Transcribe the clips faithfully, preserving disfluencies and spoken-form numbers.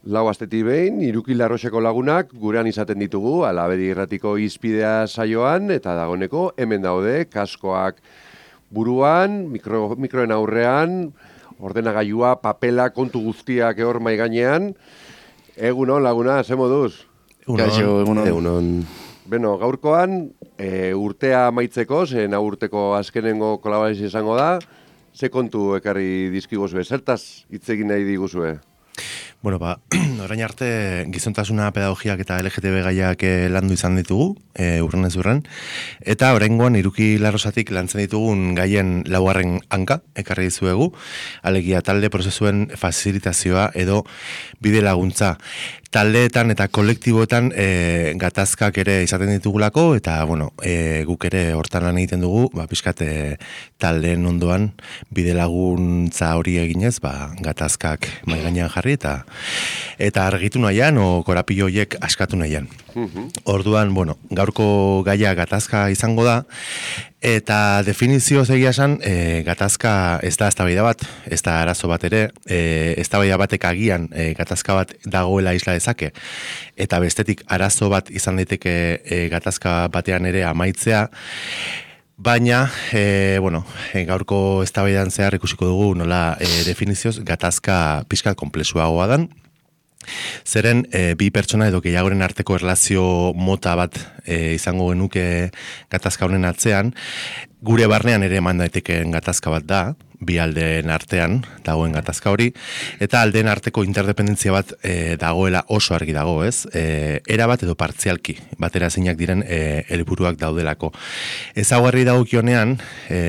lau astetik behin, Iruki Larroseko lagunak gurean izaten ditugu, Alabedi Irratiko Hizpidea saioan, eta dagoeneko hemen daude, kaskoak buruan, mikro, mikroen aurrean, ordenagailua, papela, kontu guztiak hor mai gainean. Egunon, laguna, ze moduz? Egunon. Egunon. Egunon. Beno, gaurkoan, e, urtea amaitzeko, zen urteko azkenengo kolaborazio izango da, ze kontu ekarri dizkiguzue, zertaz hitz egin nahi diguzue? Bueno, ba, orain arte gizontasuna, pedagogiak eta L G T B gaiak landu izan ditugu, e, urren ez urren, eta oraingoan Iruki Larrosatik lantzen ditugun gaien laugarren hanka, ekarri dizuegu, alegia talde prozesuen fasilitazioa edo bide laguntza. Taldeetan eta kolektiboetan e, gatazkak ere izaten ditugulako, eta bueno, e, guk ere hortan lan egiten dugu, ba, pixkat e, taldeen ondoan bide laguntza hori eginez, ba, gatazkak mahai gainean jarri, eta eta argitu nahian, o korapilo horiek askatu nahian. Orduan, bueno, gaurko gaia gatazka izango da, eta definizio egia esan, e, gatazka ez da eztabaida bat, ez da arazo bat ere, e, eztabaida batek agian e, gatazka bat dagoela isla dezake, eta bestetik arazo bat izan daiteke e, gatazka batean ere amaitzea, baina, e, bueno, e, gaurko eztabaidan zehar ikusiko dugu nola e, definizioz gatazka pixka konplexuagoa dan, zeren e, bi pertsona edo gehiagoren arteko erlazio mota bat e, izango genuke gatazka honen atzean, gure barnean ere eman daitekeen gatazka bat da, bi aldeen artean dagoen gatazka hori, eta aldeen arteko interdependentzia bat e, dagoela oso argi dago, ez? E, era bat edo partzialki, batera zeinak diren e, helburuak daudelako. Ezaugarri dagokionean, e,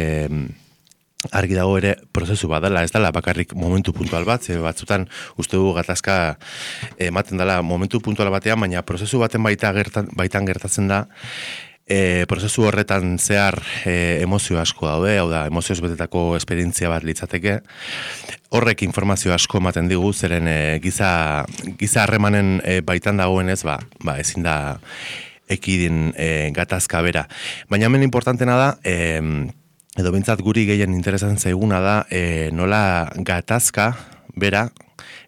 argi dago ere prozesu bat dela, ez dela bakarrik momentu puntual bat, ze batzutan uste dugu gatazka ematen dela momentu puntual batean, baina prozesu baten baita gertan, baitan gertatzen da, e, prozesu horretan zehar e, emozio asko daude, hau da, emozioz betetako esperientzia bat litzateke, horrek informazio asko ematen digu, zeren e, giza, giza harremanen e, baitan dagoenez, ba, ba, ezin da ekidin e, gatazka bera. Baina hemen importantena da, e, edo bintzat guri gehien interesatzen zaiguna da, e, nola gatazka bera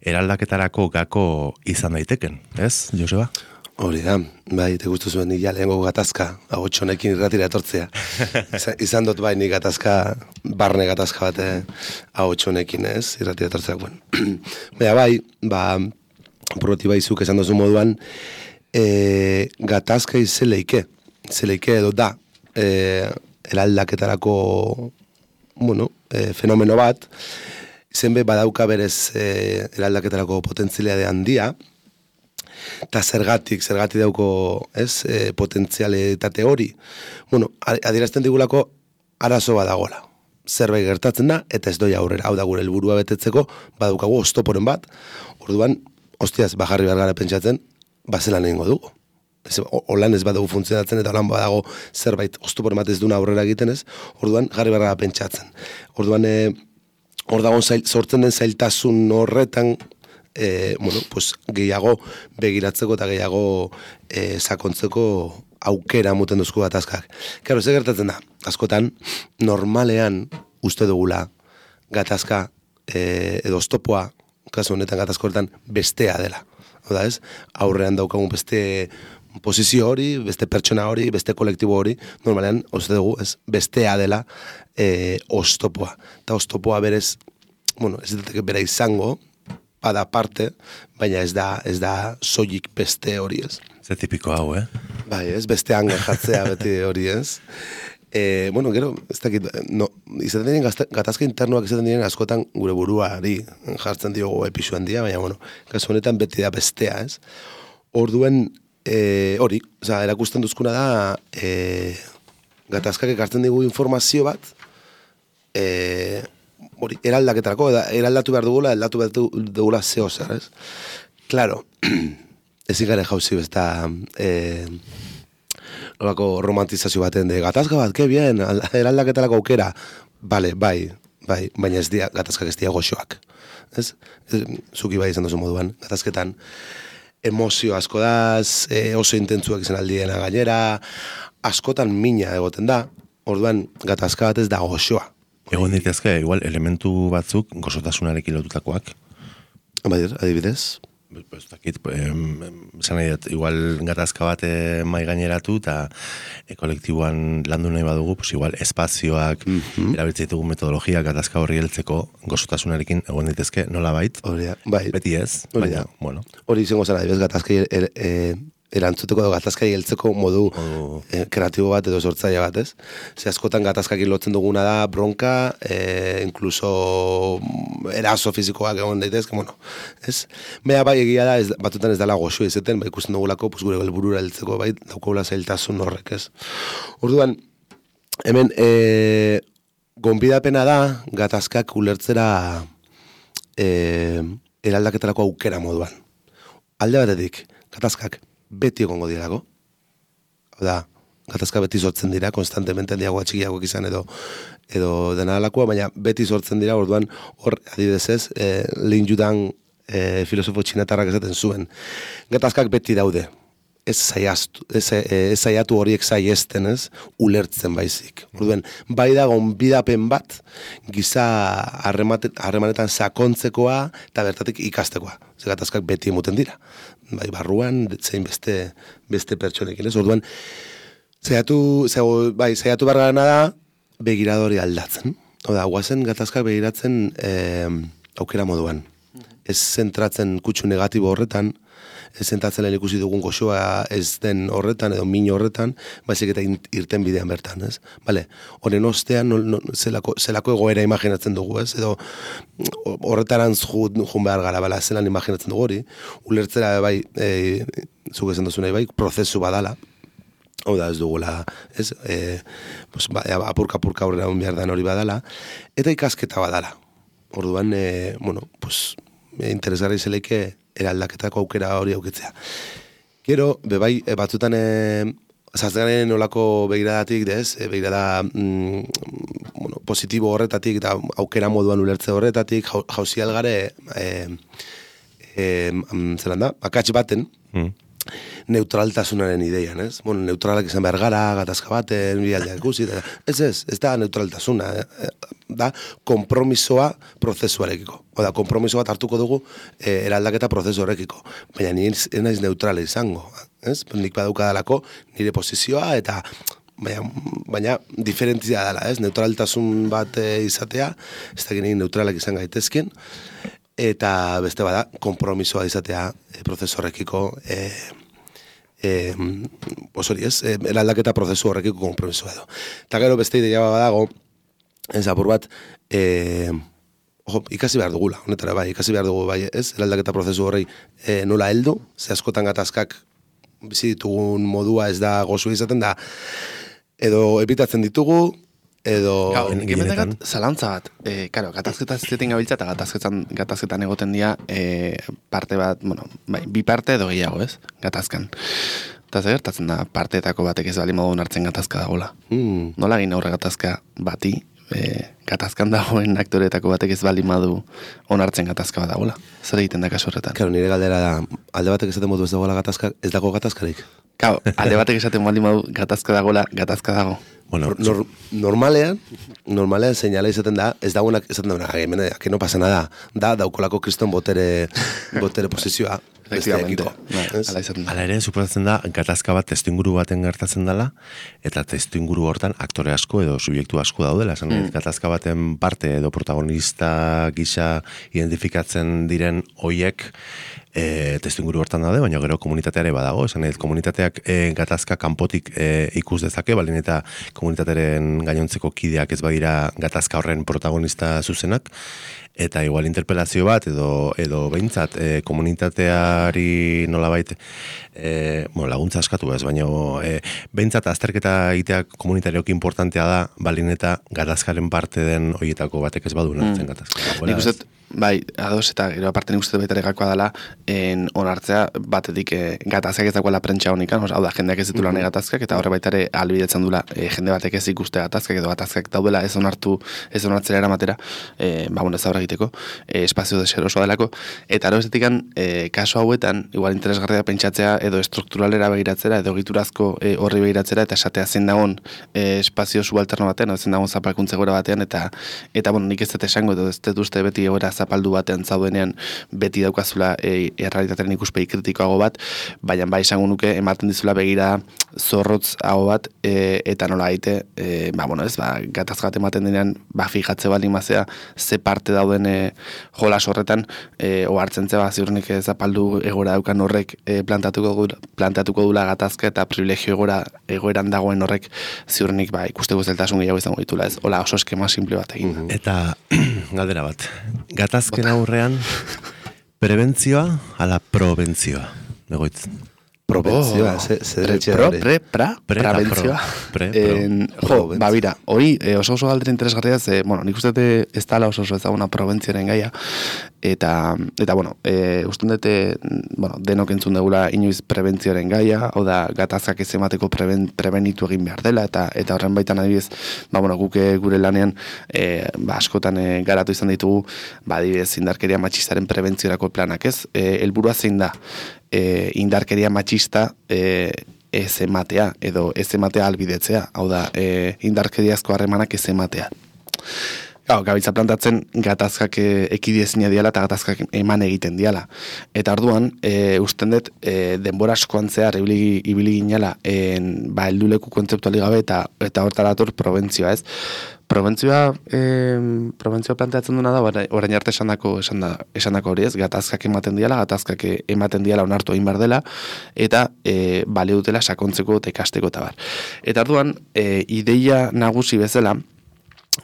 eraldaketarako gako izan daiteken, ez, Joseba? Hori da, bai, te guztu zuen nila lehenko gatazka, agotxonekin irratira etortzea. Izan, izan dut bai, ni gatazka, barne gatazka bate agotxonekin, ez, irratira etortzea. Bueno. Baina bai, ba, proti baizuk esan dozu moduan, e, gatazka izeleike, izeleike edo da, e, eraldaketarako, bueno, e, fenomeno bat, izen be badauka berez e, eraldaketarako potentzialidade handia, eta zergatik, zergatik dauko, ez, e, potentzialitate hori. Bueno, adierazten digulako arazo badagola. Zerbait gertatzen da, eta ez doi aurrera. Hau da gure helburua betetzeko, badaukagu oztoporen bat, orduan, hostiaz, bajarri bergara pentsatzen, bazelan egingo dugu. Holan ez badago funtzionatzen eta holan badago zerbait oztoporen bat ez duna aurrera egiten ez, orduan jarri bergara pentsatzen. Orduan, e, hor dagoen zail, sortzen den zailtasun horretan, E, bueno, pues, gehiago begiratzeko eta gehiago e, sakontzeko aukera muten duzku gatazkak. Karo, ze gertatzen da, askotan, normalean uste dugula gatazka e, edo oztopoa, kasu honetan gatazko horretan, bestea dela. Oda ez, aurrean daukagun beste posizio hori, beste pertsona hori, beste kolektibo hori, normalean uste dugu, ez, bestea dela e, oztopoa. Eta oztopoa berez, bueno, ez datek bera izango, bada parte, baina ez da, ez da soilik beste hori ez. Ze tipiko hau, eh? Bai, ez, beste hangar jatzea beti hori ez. E, bueno, gero, ez dakit, no, izaten diren gatazka internoak izaten diren askotan gure buruari jartzen diogo episu handia, baina, bueno, kasu honetan beti da bestea, ez. Orduen, e, hori, oza, erakusten duzkuna da, e, gatazkak ekartzen digu informazio bat, e, hori, eraldaketarako, eraldatu behar dugula, eraldatu behar dugula zeo zer, ez? Claro, ezin gare jauzi besta, eh, nolako romantizazio baten de gatazka bat, que bien, eraldaketarako aukera, bale, bai, bai, baina ez dia, gatazkak ez dia goxoak, ez? ez zuki bai izan duzu moduan, gatazketan, emozio asko daz, e, oso intentzuak izan aldiena gainera, askotan mina egoten da, orduan gatazka bat ez da goxoa. Egon ditezke, igual, elementu batzuk gozotasunarekin lotutakoak. Bai, adibidez. Pues dakit, esan nahi dut, igual gatazka bat eh, mai gaineratu eta e, kolektiboan landu nahi badugu, pues igual espazioak mm-hmm. erabiltzen ditugu metodologia gatazka horri heltzeko gozotasunarekin egon ditezke nola bait, bai. Beti ez, baina, bueno. Hori izango zara, bez gatazka er, er, erantzuteko edo gatazkari heltzeko modu oh. eh, kreatibo bat edo sortzaile bat, ez? Ze askotan gatazkakin lotzen duguna da bronka, eh, incluso eraso fizikoak egon daitezke, bueno, ez? Baina bai egia da, ez, batutan ez dela goxo izaten, bai ikusten dugulako, pues, gure helburura heltzeko, bai, daukagula zailtasun horrek, ez? Orduan, hemen, eh, gonbidapena da, gatazkak ulertzera eh, eraldaketarako aukera moduan. Alde batetik, gatazkak beti egongo dirako. Hau da, gatazka beti sortzen dira, konstantemente handiagoa txikiagoak izan edo edo dena alakoa, baina beti sortzen dira, orduan hor, adibidez ez, e, Lin Yudan e, filosofo txinatarrak esaten zuen. Gatazkak beti daude. Ez zaiaztu, ez, ez zaiatu horiek zaiesten, ez, ulertzen baizik. Orduan, bai da gonbidapen bat, giza harremanetan sakontzekoa eta bertatik ikastekoa. Ze gatazkak beti emuten dira. Bai, barruan, zein beste, beste pertsonekin, ez? Orduan, zaiatu, bai, zaiatu bargarana da, begiradori aldatzen. Oda, guazen gatazkak begiratzen eh, aukera moduan. Ez zentratzen kutsu negatibo horretan, ez zentratzen lehen ikusi dugun goxoa ez den horretan, edo min horretan, baizik eta irten bidean bertan, ez? Bale, horren ostean, no, no, zelako, zelako egoera imaginatzen dugu, ez? Edo horretarantz jun behar gara, bala, zelan imaginatzen dugu hori, ulertzera, bai, e, zuk esan duzu nahi, bai, prozesu badala, hau da ez dugula, ez? E, pues, ba, apurka-apurka horrela behar dan hori badala, eta ikasketa badala. Orduan, e, bueno, pues, interesgarri zeleike eraldaketako aukera hori aukitzea. Gero, bebai, e, batzutan e, zazgaren olako begiradatik, dez, e, begirada mm, bueno, positibo horretatik eta aukera moduan ulertze horretatik, jauzi algare e, e, zelan da, akats baten, mm. neutraltasunaren ideian, ez? Bueno, neutralak izan behar gara, gatazka baten, bialdeak ikusi, ez ez, ez da neutraltasuna, da kompromisoa prozesuarekiko. Oda, kompromiso bat hartuko dugu e, eraldaketa prozesu horrekiko. Baina nire naiz neutrala izango, ez? Nik badaukadalako nire posizioa eta baina, baina diferentzia dela, ez? Neutraltasun bat e, izatea, ez da ginen neutralak izan gaitezken, eta beste bada, kompromisoa izatea e, prozesu horrekiko e, e, osori ez, e, eraldaketa prozesu horrekiko kompromisoa edo. Eta gero beste ideia badago, ez apur bat, e, ojo, ikasi behar dugula, honetara bai, ikasi behar dugu bai, ez, eraldaketa prozesu horrei e, nola heldu, ze askotan gatazkak bizi ditugun modua ez da gozu izaten da, edo ebitatzen ditugu, edo... Gau, gemetegat, zalantza bat, e, karo, gatazketa zizetin gabiltza eta gatazketan, gatazketan egoten dira e, parte bat, bueno, bai, bi parte edo gehiago, ez, gatazkan. Eta zer gertatzen da, parteetako batek ez bali modun hartzen gatazka dagoela. Mm. Nola egin aurre gatazka bati, e, gatazkan dagoen aktoreetako batek ez bali madu onartzen gatazka bat dagoela. Zer egiten da kasu horretan? Karo, nire galdera da, alde batek esaten modu ez dagoela gatazka, ez dago gatazkarik? Kau, alde batek esaten bali madu gatazka dagoela, gatazka dago. Bueno, Nor, normalean, normalean seinala izaten da, ez dagoenak esaten da, hemen, que no pasa nada, da, daukolako kriston botere, botere posizioa. Efectivamente. Hala ere, suposatzen da, gatazka bat testuinguru baten gertatzen dela, eta testuinguru hortan aktore asko edo subjektu asko daudela. Esan, mm. gatazka baten parte edo protagonista gisa identifikatzen diren hoiek e, testuinguru hortan daude, baina gero komunitateare badago. Esan, komunitateak e, gatazka kanpotik e, ikus dezake, balin eta komunitatearen gainontzeko kideak ez badira gatazka horren protagonista zuzenak, eta igual interpelazio bat edo edo behintzat e, komunitateari nolabait e, bueno, laguntza askatu ez, baina e, behintzat azterketa egitea komunitarioki importantea da, balin eta gatazkaren parte den horietako batek ez badu nartzen mm. gatazka. Nik uste, bai, ados eta gero aparte nik uste baita gakoa dela en onartzea batetik e, gatazkak ez dagoela prentsa honikan, hau da, jendeak ez ditu lan gatazkak, eta horre baita ere albidetzen dula e, jende batek ez ikuste gatazkak edo gatazkak daudela ez onartu, ez onartzera eramatera, e, ba, bueno, ez aurre egiteko, e, espazio deserosoa delako, eta aro estetikan, e, kaso hauetan, igual interesgarria pentsatzea, edo estrukturalera begiratzera, edo egiturazko e, horri begiratzera, eta esatea zein dagoen e, espazio subalterno batean, edo zein dagoen zapalkuntze gora batean, eta, eta bueno, nik ez dut esango, edo ez dut uste beti egoera zapaldu batean zaudenean, beti daukazula e, errealitatearen ikuspegi kritikoago bat, baina bai esango nuke, ematen dizula begira zorrotz hau bat, e, eta nola gaite, e, ba, bueno, ez, ba, gatazka bat ematen denean, ba, fijatze bali mazea, ze parte dauden e, jolas horretan, e, ohartzen zeba, ziurnik zapaldu egora daukan horrek e, plantatuko, plantatuko dula gatazka eta privilegio egora egoeran dagoen horrek ziurnik, ba, ikuste guzteltasun gehiago izango ditula, ez, hola oso eskema simple bat egin. Eta, galdera bat, gatazken aurrean, prebentzioa ala probentzioa, egoitz? Probentzioa, ze deretxea Pro, hori. pre, pra, Pre eta prebentzioa. pro. Pre, pro. En, jo, ba, bira, hori eh, oso oso galdera interesgarria, ze, bueno, nik uste dute ez dala oso oso ezaguna probentzioaren gaia, eta, eta bueno, e, uste dute, bueno, denok entzun dugula inoiz prebentzioaren gaia, hau da, gatazkak ez emateko preben, prebenitu egin behar dela, eta eta horren baitan adibidez, ba, bueno, guk gure lanean, e, ba, askotan e, garatu izan ditugu, ba, adibidez, indarkeria matxistaren prebentziorako planak, ez? E, helburua zein da? E, indarkeria matxista e, ez ematea, edo ez ematea albidetzea, hau da, e, indarkeriazko harremanak ez ematea. Gau, gabiltza plantatzen gatazkak e, ekidiezina diala eta gatazkak eman egiten diala. Eta orduan, e, usten dut, e, denbora askoan zehar ibili, ibili ginala, en, ba, helduleku kontzeptuali gabe eta, eta hortarator probentzioa, ez? Probentzioa, eh, probentzioa planteatzen duna da, orain arte esandako esandako esan hori ez, gatazkak ematen diala, gatazkak ematen diala onartu egin behar dela, eta e, bale dutela sakontzeko eta ikasteko eta bar. Eta orduan, e, ideia nagusi bezala,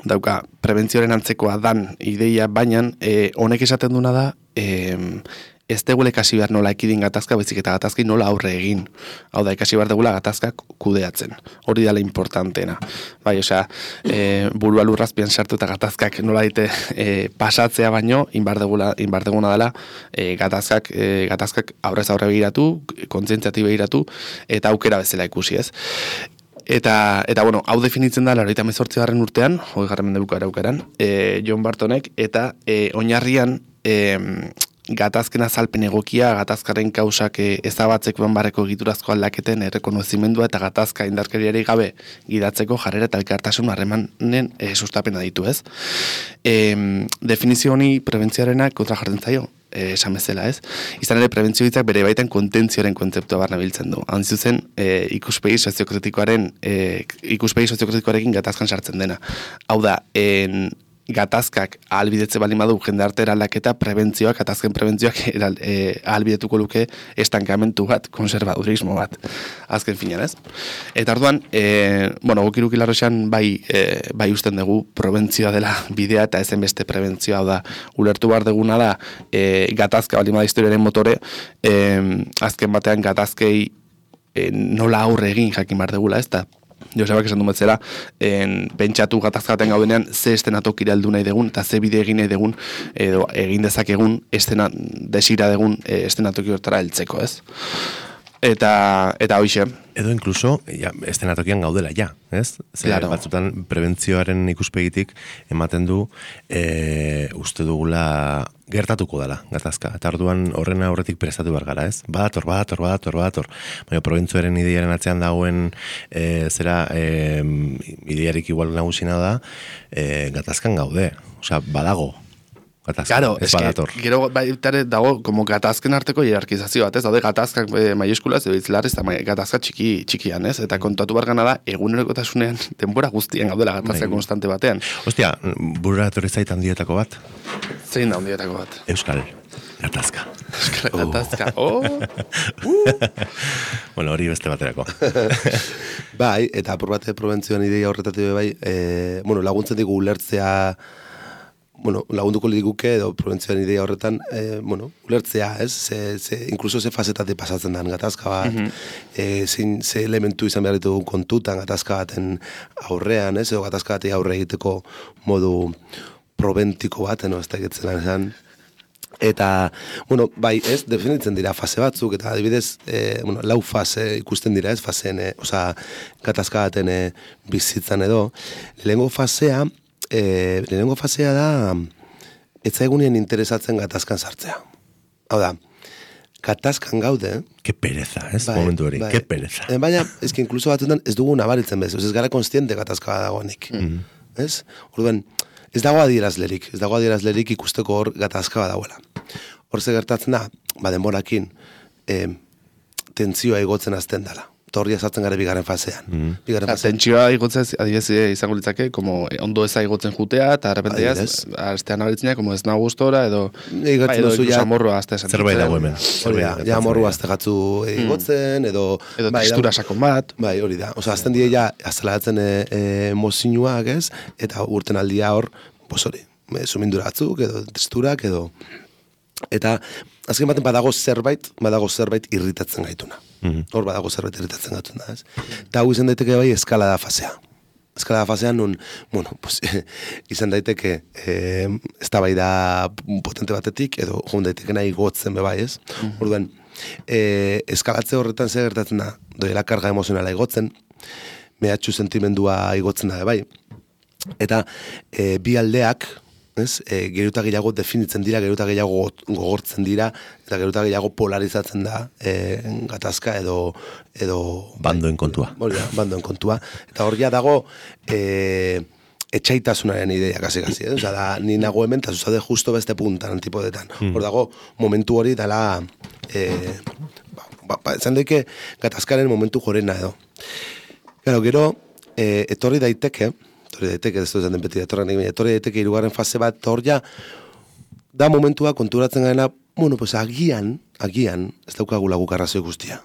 dauka, prebentzioaren antzekoa dan ideia, baina e, honek esaten duna da, e, ez degule ikasi behar nola ekidin gatazka, baizik eta gatazki nola aurre egin. Hau da, ikasi behar degula gatazkak kudeatzen. Hori dela importantena. Bai, osea, e, burua lurrazpian sartu eta gatazkak nola daite e, pasatzea baino, inbar degula, inbar deguna dela, e, gatazkak, e, gatazkak aurrez aurre begiratu, kontzientziati begiratu, eta aukera bezala ikusi, ez? Eta, eta bueno, hau definitzen da, laurogeita hemezortzi garren urtean, hogei garren mendebuko araukaran, e, John Bartonek, eta e, oinarrian, e, gatazken azalpen egokia, gatazkaren kausak ezabatzeko banbarreko egiturazko aldaketen errekonozimendua eta gatazka indarkeriari gabe gidatzeko jarrera eta elkartasun harremanen e, sustapena ditu, ez? E, definizio honi prebentzioarenak kontra jartzen zaio, e, esan bezala, ez? Izan ere, prebentzio hitzak bere baitan kontentzioaren kontzeptua barna biltzen du. Han zuzen, e, ikuspegi soziokritikoaren, e, ikuspegi soziokritikoarekin gatazkan sartzen dena. Hau da, en, gatazkak ahalbidetze baldin badu jendarte eraldaketa, prebentzioak, gatazken prebentzioak eral, e, ahalbidetuko luke estankamentu bat, konservadurismo bat, azken finean, ez? Eta orduan, e, bueno, guk Irukilarroxan bai, e, bai usten dugu prebentzioa dela bidea eta ezen beste prebentzioa, hau da, ulertu behar duguna da, e, gatazka baldin bada historiaren motore, e, azken batean gatazkei e, nola aurre egin jakin behar dugula, ez da? Josebak esan du betzela, en, pentsatu gatazkaten gaudenean ze estenatokira heldu nahi degun, eta ze bide egin nahi degun, edo egin dezakegun, estena, desira degun e, estenatoki hortara heltzeko, ez? Eta, eta hoixe. Edo inkluso, ja, estenatokian gaudela, ja, ez? Zer, Claro. batzutan prebentzioaren ikuspegitik ematen du e, uste dugula gertatuko dela, gatazka. Eta orduan horren aurretik prestatu behar gara, ez? Badator, badator, badator, badator. Baina prebentzioaren ideiaren atzean dagoen e, zera e, ideiarik igual nagusina da e, gatazkan gaude. Osea, badago. Gatazka, Claro, ez es que badator. gero baitare dago como gatazken arteko hierarkizazio bat, ez? Daude gatazkak e, maiuskulaz edo itzlarrez eta mai- gatazka txiki txikian, ez? Eta kontatu behar gana da egunerokotasunean denbora guztien gaudela gatazka Bai. konstante batean. Ostia, burura etorri zait handietako bat, Zein da hondietako bat? Euskal gatazka. Gatazka. Oh. Bueno, hori beste baterako. Bai, eta apur bate prebentzioan ideia horretatik bai, e, bueno, laguntzen digu ulertzea, bueno, lagunduko liguke edo prebentzioan ideia horretan, e, bueno, ulertzea, ez? Ze, ze, inkluso ze fasetate pasatzen den gatazka bat, mm -hmm. e, zein, ze elementu izan behar ditugun kontutan gatazka baten aurrean, ez? Edo gatazka batei aurre egiteko modu probentiko bat, no? Ez da egitzen esan. Eta, bueno, bai, ez, definitzen dira fase batzuk, eta adibidez, e, bueno, lau fase ikusten dira, ez, faseen, e, oza, gatazka baten e, bizitzan edo. Lehenengo fasea, e, lehenengo fasea da, etzaigunien interesatzen gatazkan sartzea. Hau da, gatazkan gaude... Ke pereza, ez? Bai, Momentu hori, bai. ke pereza. E, baina, ez que inkluso batzutan ez dugu nabaritzen bez, ez gara konstiente gatazka dagoenik. Mm. Ez? Orduan, ez dago adierazlerik, ez dago adierazlerik ikusteko hor gatazka dagoela. Hor ze gertatzen da, ba denborakin, e, tentzioa igotzen azten dela. Eta horria sartzen gara bigarren fasean. Mm. Bigarren fasean. Tentsioa igotzen, adibidez izango litzake, como ondo eza igotzen jutea, eta arrepenteaz, astean abritzenak, como ez nago gustora, edo, ba, edo ikusa morroa azte esan. Zerbait dago hemen. Hori da, ja morroa azte gatzu igotzen, edo... Edo tekstura sakon bat. Bai, hori da. Osa, azten die ja, azalaratzen e, e, mozinuak, ez? Eta urten aldia hor, pues hori, sumindura batzuk, edo testurak, edo... Eta, azken baten badago zerbait, badago zerbait irritatzen gaituna. Mm-hmm. Hor badago zerbait irritatzen gaituna, ez? Eta hau izan daiteke bai eskalada fasea. Eskalada fasean nun, bueno, pues, izan daiteke eh, eztabaida potente batetik, edo joan daiteke nahi gotzen be bai, ez? Mm-hmm. Orduan, eh, eskalatze horretan zer gertatzen da, doela karga emozionala igotzen, mehatxu sentimendua igotzen da be bai. Eta eh, bi aldeak, ez? E, geruta gehiago definitzen dira, geruta gehiago gogortzen dira, eta geruta gehiago polarizatzen da e, gatazka edo... edo bandoen kontua. Hori da, bandoen kontua. Eta hor ja dago e, etxaitasunaren ideia, kasi-kasi. Eh? Osa, da, ni nago hemen, eta zuzade justo beste puntan, antipodetan. Mm. Hor dago, momentu hori dela... E, ba, ba, ba, esan daike gatazkaren momentu jorena edo. Gero, gero, e, etorri daiteke, etorri daiteke, ez dut den beti etorren egin, etorri daiteke irugarren fase bat, eta hor ja, da momentua konturatzen garena, bueno, pues agian, agian, ez daukagu laguk arrazoi guztia.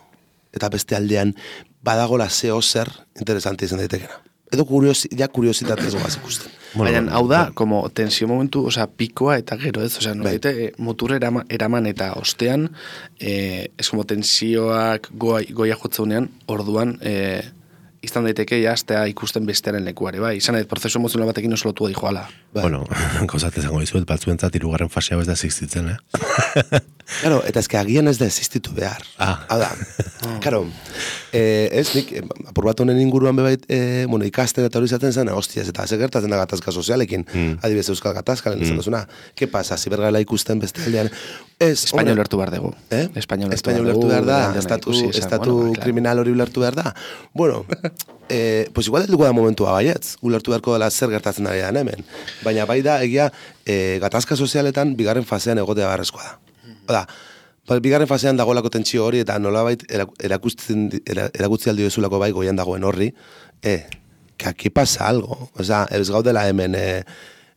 Eta beste aldean, badagola zeo zer interesante izan daitekena. Edo kuriosi, ja kuriositatez goaz ikusten. Baina, hau da, como tensio momentu, osea, pikoa eta gero ez, osea, no, bai. Motur eraman, eraman eta ostean, eh, ez como tensioak goi, goia jotzeunean, orduan, eh, izan daiteke jastea ikusten bestearen lekuare, bai, izan dut, prozesu emozional batekin oso lotua dijoala. Bai. Bueno, gauzat ezango dizuet, batzuentzat irugarren fasea ez da existitzen, eh? Claro, eta ezke agian ez da existitu behar. Ah. Hau da, claro, eh, ez nik, apur bat honen inguruan bebait, eh, bueno, ikasten eta hori izaten zen, hostiaz, eta ze gertatzen da gatazka sozialekin, mm. adibidez euskal gatazka, lehen izan duzuna, ke pasa, zibergala ikusten beste aldean, ez... Espainol lertu behar dugu. Eh? Espainol lertu behar da, estatu, estatu bueno, kriminal hori lertu behar da. Bueno, eh, pues igual helduko da momentua baietz, ulertu beharko dela zer gertatzen ari da hemen. Baina bai da, egia, eh, gatazka sozialetan bigarren fasean egotea beharrezkoa da. Oda, bigarren fasean dagoelako tentsio hori eta nolabait erakusten erakutzi aldi dezulako bai goian dagoen horri, eh, que aquí pasa algo. Osea, ez gaudela hemen eh,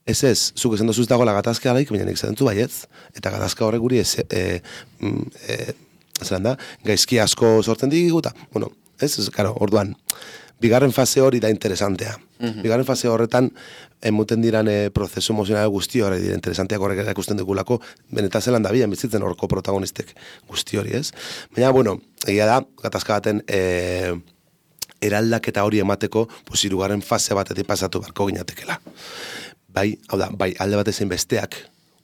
ez ez, zuk esan dozuz dagoela gatazka alaik, baina nik zentzu baietz, eta gatazka horrek guri ez, eh, eh, zelan da, gaizki asko sortzen digu, eta, bueno, ez, ez, karo, orduan, bigarren fase hori da interesantea. Mm-hmm. Bigarren fase horretan, emuten diran e, prozesu emozional guzti hori dira interesanteak horrek erakusten dugulako, benetan zelan da bian bizitzen horko protagonistek guzti hori, ez? Baina, bueno, egia da, gatazka baten e, eraldaketa hori emateko, pues, hirugarren fase batetik pasatu barko ginatekela. Bai, hau da, bai, alde batezen besteak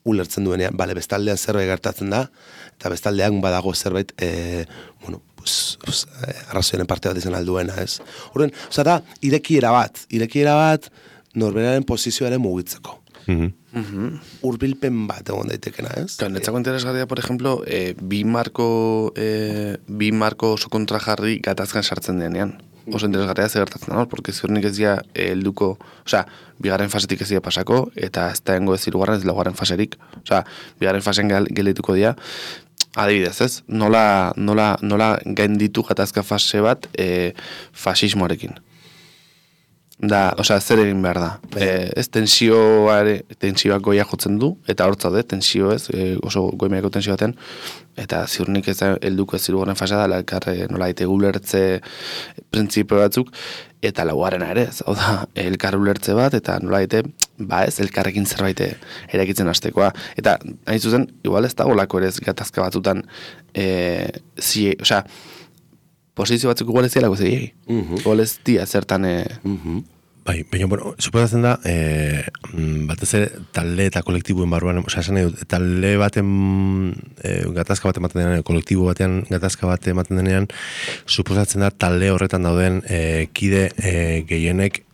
ulertzen duenean, bale, bestaldean zerbait gertatzen da, eta bestaldean badago zerbait, e, bueno, pues, pues, arrazoinen parte bat izan alduena, ez? Horren, oza da, irekiera bat, irekiera bat, norberaren posizioaren mugitzeko. Mm-hmm. Mm-hmm. Urbilpen bat egon daitekena, ez? Claro, netzako interesgarria, por ejemplo, eh, bi marko eh, bi marko oso kontrajarri gatazkan sartzen denean. Oso interesgarria ze gertatzen da, porque ziurnik ez dira helduko, osea, bigarren fasetik ez dira pasako, eta ez da hengo ez hirugarren ez laugarren faserik. Osea, bigarren fasen gelituko dira, adibidez, ez? Nola, nola, nola gainditu gatazka fase bat eh, fasismoarekin. Da, osea, zer egin behar da. E, ez tensioare, tensioak goia jotzen du, eta hortza de, tensio ez, e, oso goimeako tensio baten, eta ziurnik ez helduko ez zirugarren fasea da, elkarre nola ite ulertze printzipio batzuk, eta laugarrena ere, ez, hau da, elkar ulertze bat, eta nola ite, ba ez, elkarrekin zerbait erakitzen hastekoa. Eta, hain zuzen, igual ez da golako ere ez gatazka batzutan, e, zie, osea, posizio batzuk igual ez dialako zei, uh-huh. igual ez dia zertan... E... Uh-huh. Bai, baina, bueno, suposatzen da, e, batez ere, talde eta kolektibuen barruan, osea, esan edo, talde baten e, gatazka bat ematen denean, kolektibo batean gatazka bat ematen denean, suposatzen da, talde horretan dauden e, kide e, gehienek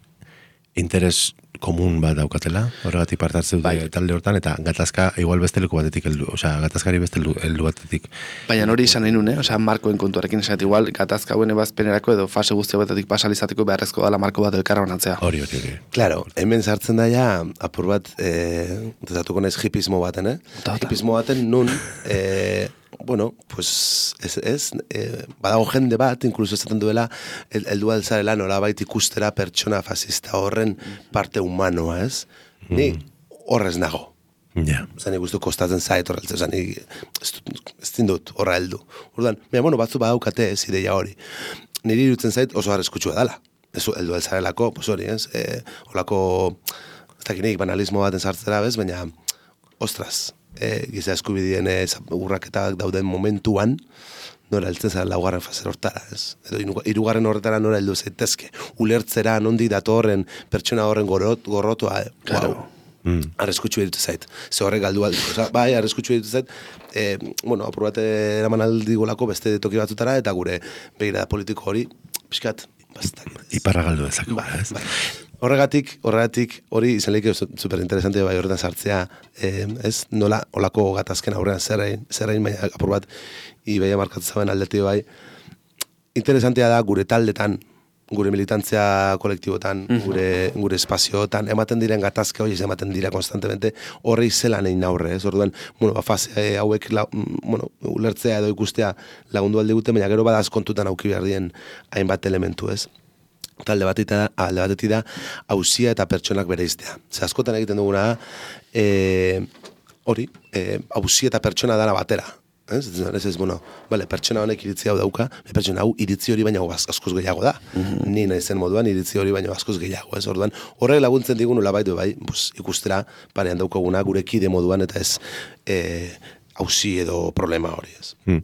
interes komun bat daukatela, horregatik parte hartzen dute Bai. talde hortan, eta gatazka igual beste leku batetik heldu, osea, gatazkari beste heldu heldu batetik. Baina hori izan nahi nune, osea, markoen kontuarekin esat igual, gatazka hauen ebazpenerako edo fase guzti batetik pasalizateko beharrezko dela marko bat elkarra banatzea. Hori, hori, hori. Claro, hemen sartzen da ja, apur bat, eh, dezatuko naiz hipismo baten, eh? Tota. Hipismo baten nun, eh, bueno, pues, ez, ez, eh, badago jende bat, inkluso esaten duela, heldu altzarela nolabait ikustera pertsona fascista horren parte humanoa, ez? Ni horrez nago. Ja. Zan ikustu kostatzen zait horreltze, zan ez, ez dindut horra heldu. Orduan, mira, bueno, batzu badaukate ez ideia hori. Niri irutzen zait oso arriskutsua dela. Ez heldu altzarelako, pues hori, ez? E, olako, ez dakinik, banalismo baten sartzera, bez? Baina, ostras, e, giza eskubidien e, urraketak dauden momentuan, nora heltzen zara laugarren fazer hortara, ez? Edo hirugarren horretara nora heldu zaitezke. Ulertzera, nondi datorren pertsona horren gorot, gorrotua, Claro. wow. Mm. Arriskutsu editu zait. Ze horrek galdu aldi. Osa, bai, arriskutsu editu zait. E, bueno, apur bat eraman aldigolako beste toki batzutara, eta gure begira politiko hori, pixkat, bastak. Iparra galdu dezako, Bai, ez? bai. Horregatik, horregatik, hori izan lehik superinteresante bai horretan sartzea, eh, ez, nola, olako gatazken aurrean zerrein, zerrein, baina apur bat, ibeia markatzaben aldeti bai, interesantea da gure taldetan, gure militantzia kolektibotan, gure, gure espazioetan, ematen diren gatazke hori, ematen dira konstantemente, horre izelan egin aurre, ez, orduan, bueno, ba, fase eh, hauek, la, bueno, ulertzea edo ikustea lagundu alde gute, baina gero badaz kontutan auki behar dien hainbat elementu, ez. Talde batita, alde batetik da, hauzia eta pertsonak bereiztea. Ze askotan egiten duguna da, e, hori, e, hauzia eta pertsona dara batera. Ez, ez, ez, bueno, vale, pertsona honek iritzi hau dauka, pertsona hau iritzi hori baino askoz gehiago da. Mm-hmm. Ni naizen moduan iritzi hori baino askoz gehiago, ez? Orduan, horrek laguntzen digun nola baitu bai, pues, ikustera parean daukaguna gure kide moduan eta ez eh hauzi edo problema hori, ez. Hmm.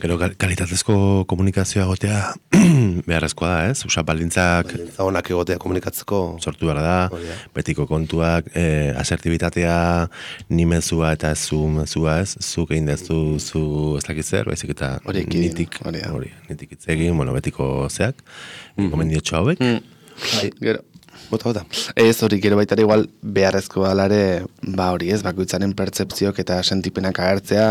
Gero kalitatezko komunikazioa gotea beharrezkoa da, ez? Usa baldintzak Baldintza onak egotea komunikatzeko sortu behar da, Hori da. betiko kontuak, eh, asertibitatea, ni mezua eta ez zu mezua, ez? Zuk egin dezu, zu ez dakit zer, baizik eta Hori ekidin, nitik, hori da. hori, nitik hitz egin, bueno, betiko zeak, gomendiotxo hauek. Bai, Gero, bota, bota. ez hori gero baita ere igual beharrezko alare, ba hori ez, bakoitzaren pertzepzioak eta sentipenak agertzea,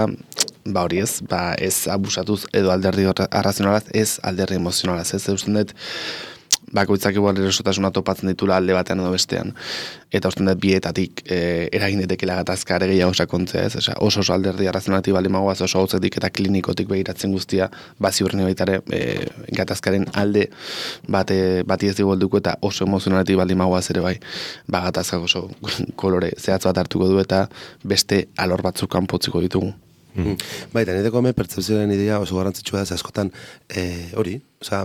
ba hori ez, ba ez abusatuz edo alderdi arrazionalaz, ez alderdi emozionalaz, ez, eusten dut, bakoitzak igual erosotasuna topatzen ditula alde batean edo bestean. Eta usten dut bietatik e, eragin daitekeela gatazka ere gehiago sakontzea, ez? Osea, oso oso alderdi arrazionalati bali magoaz, oso hotzetik eta klinikotik begiratzen guztia, bazi horren baitare e, gatazkaren alde bate, bati ez dugu helduko eta oso emozionalati bali magoaz ere bai, ba gatazkak oso kolore zehatz bat hartuko du eta beste alor batzuk kanpotziko ditugu. Mm. Baita, nideko hemen pertzepzioaren idea oso garrantzitsua da, ze askotan eh, hori, osea,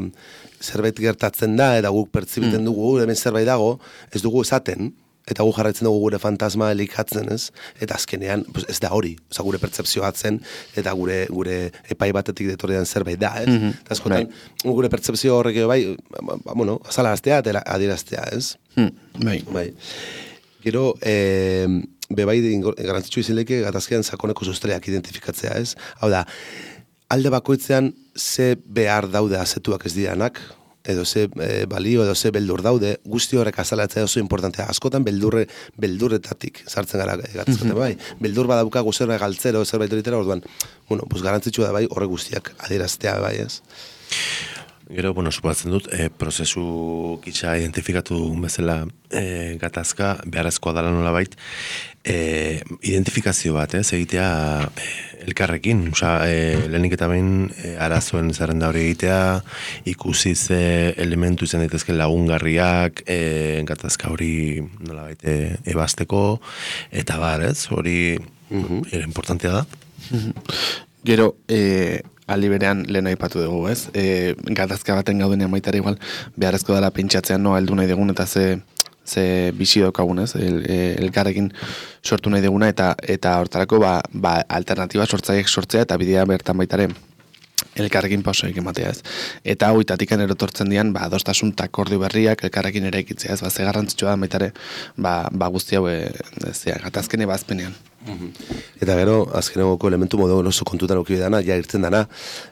zerbait gertatzen da, eta guk pertzibiten mm. dugu, hemen zerbait dago, ez dugu esaten, eta gu jarraitzen dugu gure fantasma elikatzen, ez? Eta azkenean, pues, ez da hori, osea, gure pertzepzioa atzen, eta gure gure epai batetik detorrean zerbait da, ez? Mm-hmm. Eta askotan, gure pertzepzio horrek bai, ba, bueno, azalaraztea eta adieraztea, ez? Mm, bai. Bai. Gero, eh, bebai garantzitsu izileke gatazkean sakoneko sustreak identifikatzea, ez? Hau da, alde bakoitzean ze behar daude azetuak ez diranak, edo ze e, balio, edo ze beldur daude, guzti horrek azalatzea oso importantea. Askotan beldurre, beldurretatik sartzen gara gatazketan, bai. Beldur badaukagu zerbait galtzero, zerbait horitera, orduan, bueno, pues garantzitsua da bai, horrek guztiak adieraztea, bai, ez? Gero, bueno, supatzen dut, e, prozesu kitsa identifikatu bezala e, gatazka, beharrezkoa dela nola bait, e, identifikazio bat, ez, egitea e, elkarrekin, oza, e, lehenik eta behin e, arazoen zerrenda hori egitea, ikusi ze elementu izan daitezke lagungarriak, e, gatazka hori nola bait e, ebasteko, eta bar, ez, hori mm-hmm. e, importantea da. Mm-hmm. Gero, e, aldi berean lehen aipatu dugu, ez? E, gatazka baten gaudenean baitare igual, beharrezko dela pentsatzean noa heldu nahi dugun eta ze, ze bizi daukagun, ez? El, el, elkarrekin sortu nahi duguna eta eta hortarako ba, ba alternatiba sortzaiek sortzea eta bidea bertan baitare elkarrekin pausoik ematea, ez? Eta hoitatik erotortzen dian, ba, adostasun eta akordio berriak elkarrekin eraikitzea, ez? Ba, ze garrantzitsua da baitare, ba, ba guzti hau, ez, gatazken ebazpenean. Eta gero, azkenegoko elementu modu oso kontutan auki dana, ja irtzen dana,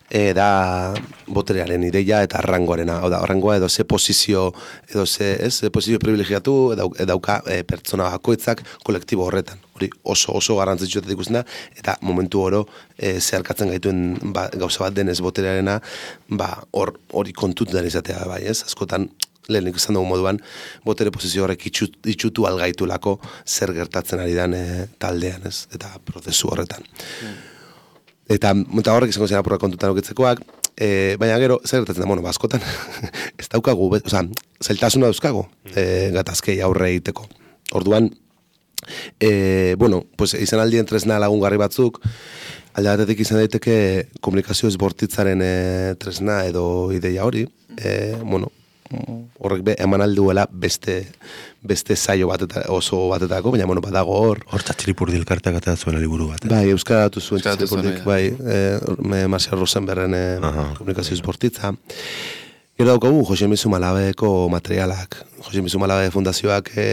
e, da boterearen ideia eta arrangoarena. Hau da, arrangoa edo ze posizio, edo ze, ez, ze posizio privilegiatu edau, edauka e, pertsona bakoitzak kolektibo horretan. Hori oso oso garrantzitsuetat ikusten da, eta momentu oro e, zeharkatzen gaituen ba, gauza bat denez boterearena, ba, hor, hori kontutan izatea, bai, ez? Askotan, lehenik izan dugu moduan, botere posizio horrek itxut, itxutu algaitulako zer gertatzen ari dan e, taldean, ez? Eta prozesu horretan. Mm. Eta, eta horrek izango zen apurra kontutan okitzekoak, e, baina gero, zer gertatzen da, bueno, askotan, ez daukagu, oza, zailtasuna dauzkago, e, gatazkei aurre egiteko. Orduan, e, bueno, pues, izan aldien tresna lagungarri batzuk, alde batetik izan daiteke komunikazio ezbortitzaren e, tresna edo ideia hori, e, bueno, horrek be, eman alduela beste beste saio bateta, oso batetako, baina bueno, badago hor. Horta txiripurdi elkarteak eta zuela liburu bat. Bai, euskara datu zuen txiripurdik, bai, e, Marcia Rosenberren e, komunikazio esportitza. Gero daukagu, Jose Mizu Malabeko materialak. Jose Mizu Malabe fundazioak e,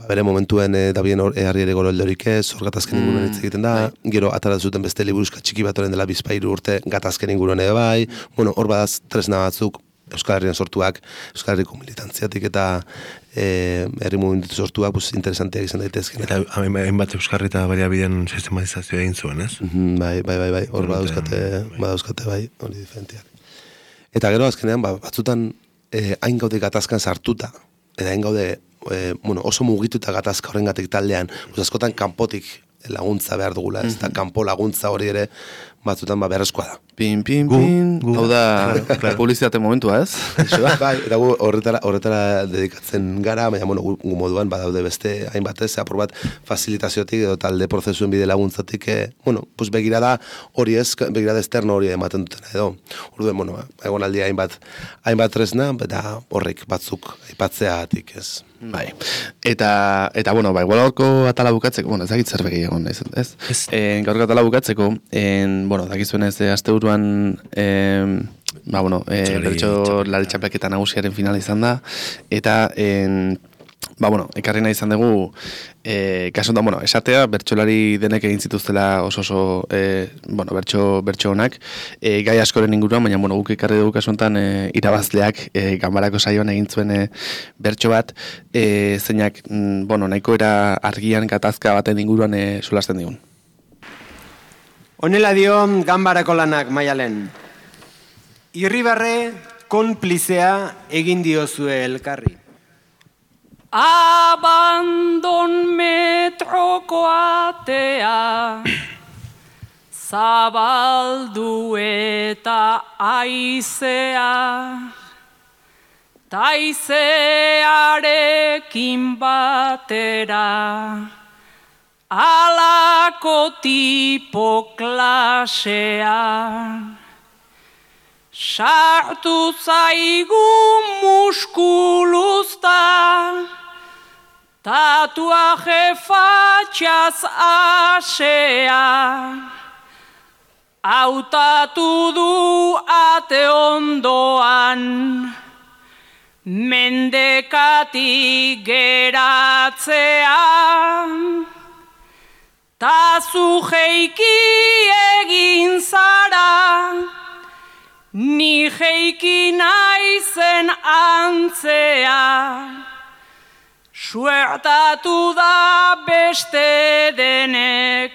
bere momentuen e, dabien harri ere goro eldorik ez, hor gatazken inguruan hitz egiten da, bai. Gero atara zuten beste liburuzka txiki bat oren dela bizpairu urte gatazken inguruan ere bai, bueno, hor badaz tresna batzuk, Euskal Herrian sortuak, Euskal Herriko militantziatik eta e, herri movimentu sortuak pues, interesanteak izan daitezken. Eta hainbat Euskal Herri eta bariabideen sistematizazioa egin zuen, ez? Bai, bai, bai, bai, hor badauzkate, badauzkate, bai, hori diferentiak. Eta gero azkenean, ba, batzutan eh, hain gaude gatazkan sartuta, eta hain gaude eh, bueno, oso mugituta gatazka horrengatik taldean, pues, askotan kanpotik laguntza behar dugula, ez da, kanpo laguntza hori ere batzutan ba beharrezkoa da. Pin, pin, pin, hau da publizitate momentua, ez? Bai, eta gu horretara, horretara dedikatzen gara, baina, bueno, gu, gu moduan badaude beste hainbat ez, apur bat facilitaziotik edo talde prozesuen bide laguntzatik, eh, bueno, pues begirada hori ez, begirada esterno hori ematen dutena edo. Orduen, bueno, egon aldia hainbat, hainbat tresna, eta horrek batzuk aipatzeatik ez. Bai. Eta, eta bueno, bai, gaurko atala bukatzeko, bueno, ez dakit zerbeki egon, ez? ez? ez. En, gaurko atala bukatzeko, en, bueno, dakizuen ez, asteburuan, en, ba, bueno, e, bertso lari txapelketa nagusiaren finala izan da, eta, en, ba, bueno, ekarri nahi izan dugu, e, kasu da, bueno, esatea, bertsolari denek egin zituztela oso oso, e, bueno, bertso, bertso honak, e, gai askoren inguruan, baina, bueno, guk ekarri dugu kasu honetan, e, irabazleak, e, ganbarako saioan egin zuen e, bertso bat, e, zeinak, mm, bueno, nahiko era argian gatazka baten inguruan e, solasten digun. Honela dio ganbarako lanak Maialen. Irribarre konplizea egin diozue elkarri. Abandon metroko atea zabaldu eta aizea taizearekin batera alako tipo klasea sartu zaigu muskuluzta tatuaje fatxaz asea, hautatu du ate ondoan, mendekati geratzea, ta zu jeiki egin zara, ni jeiki naizen antzea, suertatu da beste denek,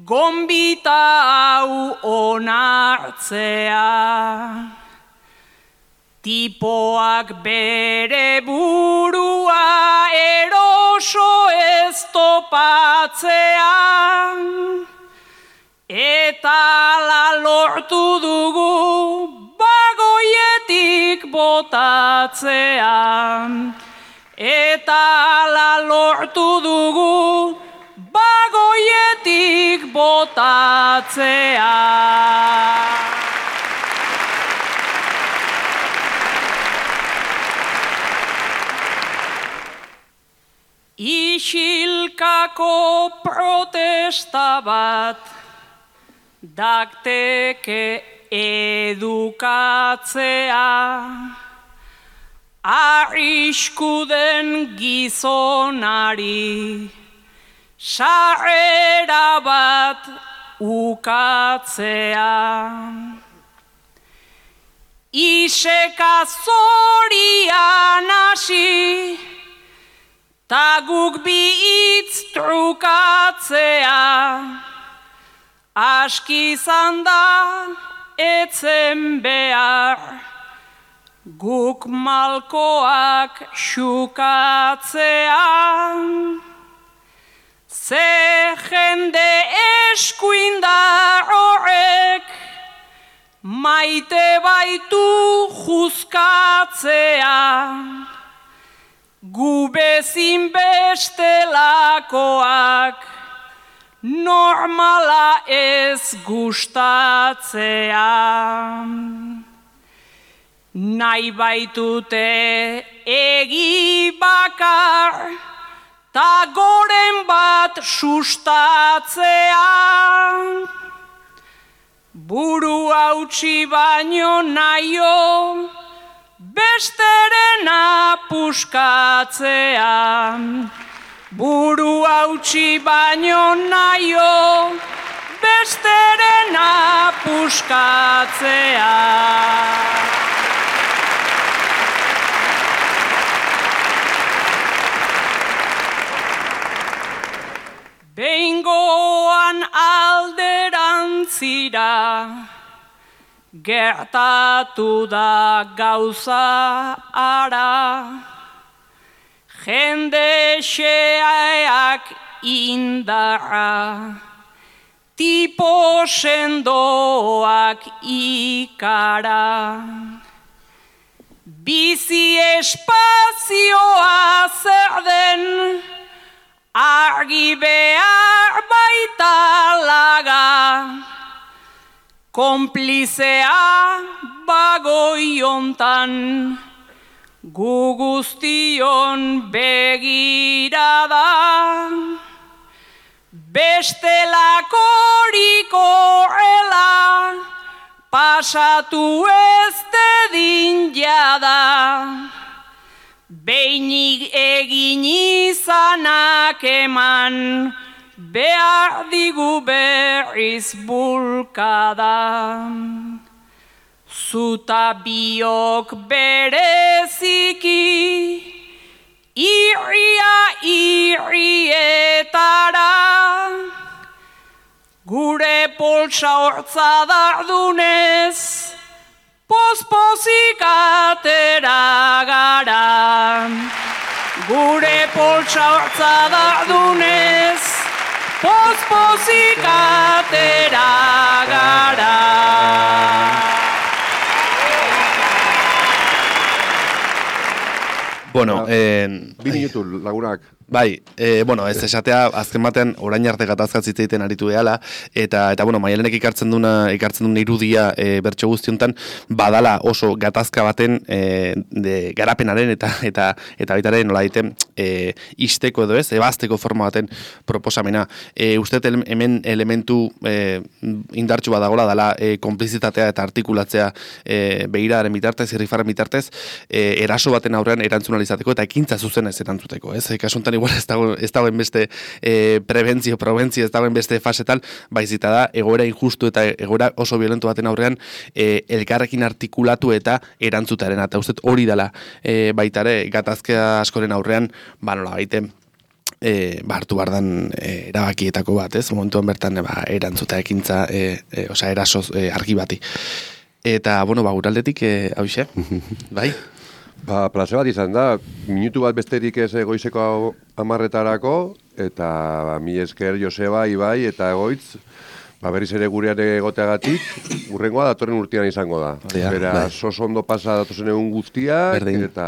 gonbita hau onartzea. Tipoak bere burua eroso ez topatzea, eta la lortu dugu bagoietik botatzea. Eta la lortu dugu bagoietik botatzea. Isilkako protesta bat dakteke edukatzea. Arriskuden gizonari sarrera bat ukatzea. Iseka zorian hasi, ta guk bi hitz trukatzea. Aski izan da etzen behar, guk malkoak xukatzea. Ze jende eskuindar horrek, maite baitu juzkatzea. Gu bezin bestelakoak, normala ez gustatzea. Nahi baitute egi bakar, ta goren bat sustatzea. Buru hautsi baino naio, besterena puskatzea. Buru hautsi baino naio, besterena puskatzea. Behingoan alderantzira, gertatu da gauza ara. Jende xeak indarra, tipo sendoak ikara. Bizi espazioa zer den, argi behar baita laga. Konplizea bagoi hontan, gu guztion begirada. Bestelakorik horrela, pasatu ez dedin jada. Beinik egin izanak eman, behar digu berriz bulkada. Zuta biok bereziki, irria irrietara. Gure poltsa hortza dardunez, pospozik atera gara. Gure poltsa hortza dardunez, pospozik atera gara. Bueno, eh, Bi minutu lagunak. bai, e, bueno, ez esatea, azken batean orain arte gatazkatz hitz egiten aritu behala, eta, eta bueno, Maialenek ikartzen duna, ikartzen duen irudia e, bertso guztiontan, badala oso gatazka baten e, de, garapenaren eta eta eta baitaren nola daiten e, isteko edo ez, ebazteko forma baten proposamena. E, uste hemen elementu e, indartsu badagola dala e, konplizitatea eta artikulatzea e, begiraren bitartez, irrifarren bitartez, e, eraso baten aurrean erantzun alizateko eta ekintza zuzenez erantzuteko, ez? E, kasuntan igual ez dago, ez dagoen beste e, prebentzio, probentzio, ez dagoen beste fasetal, baizita da, egoera injustu eta egoera oso violento baten aurrean e, elkarrekin artikulatu eta erantzutaren, eta uste hori dela e, baitare gatazkea askoren aurrean, ba nola baite, e, ba hartu bardan e, erabakietako bat, ez? Momentuan bertan ba, erantzuta ekintza, e, e, osea, erasoz e, argi bati. Eta, bueno, ba, guraldetik, e, hauxe, bai? Ba, plaze bat izan da, minutu bat besterik ez goizeko amarretarako, eta ba, mi esker Joseba, Ibai eta Egoitz, ba, berriz ere gurean egoteagatik, urrengoa datorren urtean izango da. Ja, Beraz, bai. Oso ondo pasa datozen egun guztiak, Berdin. eta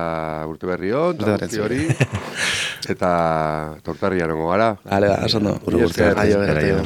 urte berri hon, eta guzti hori, eta tortarria nongo gara. Hale, ba, oso ondo. Mi esker. Aio, aio.